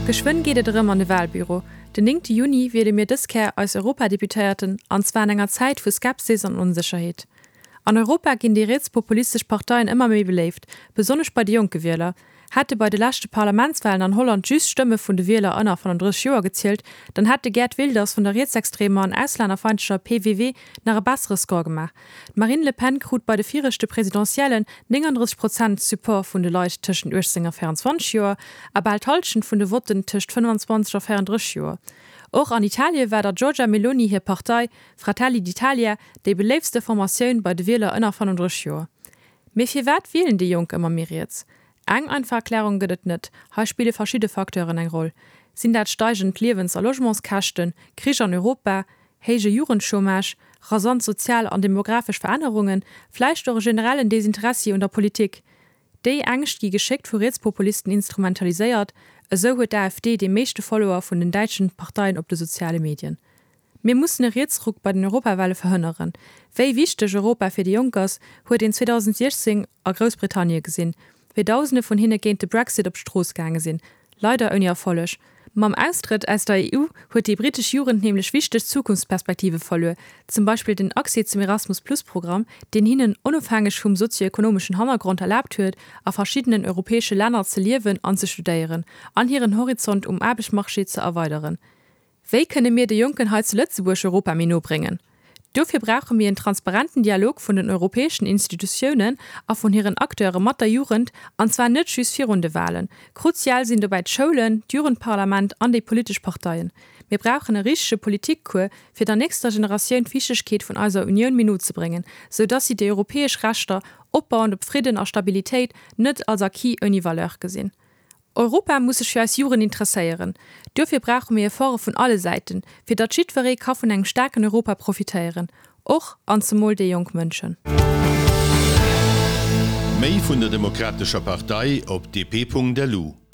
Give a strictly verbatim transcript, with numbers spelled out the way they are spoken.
Geschwënn geet et erëm an de Walbüro. Den néngte Juni wiele mir dës Kéier eis Europadeputéierten, an zwar an enger Zäit vu Skepsis an Onsécherheet. An Europa ginn déi rietspopulistesch Parteien ëmmer méi beléift, besonnesch bei de jonke Wieler. Hätte bei de leschte Parlamentswalen an Holland just d'Stëmme vun de Wieler ënner fënnenddrësseg Joer gezielt, dann hätt de Geert Wilders vun der rietsextremer an auslännerfeindlecher P V W nach e bessere Score gemaach. D'Marine Le Pen krut bei de viregte Presidentiellen nénganddrësseg Prozent Support vun de Leit tëschent uechtzéng a véieranzwanzeg Joer a bal d'Hallschent vun de Votten tëscht fënnfanzwanzeg a véierandrësseg Joer. Och an Italie war der Giorgia Meloni hir Partei Fratelli d'Italia déi beléiftste Formatioun bei de Wieler ënner fënnenddrësseg Joer. Mee firwat wielen déi Jonk ëmmer méi riets? Eng einfach Erklärung gëtt et net, hei spille verschidde Facteuren eng Roll. Sinn dat steigend Liewens a Logementskäschten, Krich an Europa, héije Jugendchômage, rasant sozial an demografesch Verännerungen, vläicht och e generellen Desinteressi un der Politik? Déi Ängscht gi geschéckt vu Rietspopulisten instrumentaliséiert, esou huet d'A F D déi meeschte Follower vun den däitschen Parteien op de soziale Medien. Mir mussen e Rietsruck bei den Europawale verhënneren. Wéi wichteg Europa fir déi Jonk ass, huet een zweedausendsiechzéng a Groussbritannie gesinn, wéi Dausende vun hinne géint de Brexit op d'Strooss gaange sinn. Leider ouni Erfolleg. Mam Austrëtt aus der E U huet déi brittesch Jugend nämlech wichteg Zukunftsperspektive verluer, zum Beispill den Accès zum Erasmus-Plus-Programm, deen hinnen onofhängeg vum sozioekonomeschen Hannergrond erlaabt huet, a verschiddenen europäesche Länner ze liewen an ze studéieren an hiren Horizont um Aarbechtsmarché ze erweideren. Wéi kënne mir de Jonken hei zu Lëtzebuerg Europa méi no bréngen? Dofir brauche mir en transparenten Dialog vun den europäeschen Institutiounen a vun hiren Acteure mat der Jugend, an zwar net just virun de Walen. Kruzial sinn dobäi d'Schoulen, d'Jugendparlament an déi politesch Parteien. Mir brauchen e richtege Politikcours, fir der nächster Generatioun d'Wichtegkeet vun eiser Unioun méi no ze bréngen, sou dass si déi europäesch Rechter, opbauend op Fridden a Stabilitéit, net als Acquis ouni Valeur gesinn. Europa muss sech fir eis Jugend interesséieren. Duerfir brauche mir Efforte vun alle Säiten, fir datt jiddweree ka vun engem staarken Europa profitéieren, och an zemol déi jonk Mënschen. Méi vun der Demokratescher Partei op D P Punkt L U.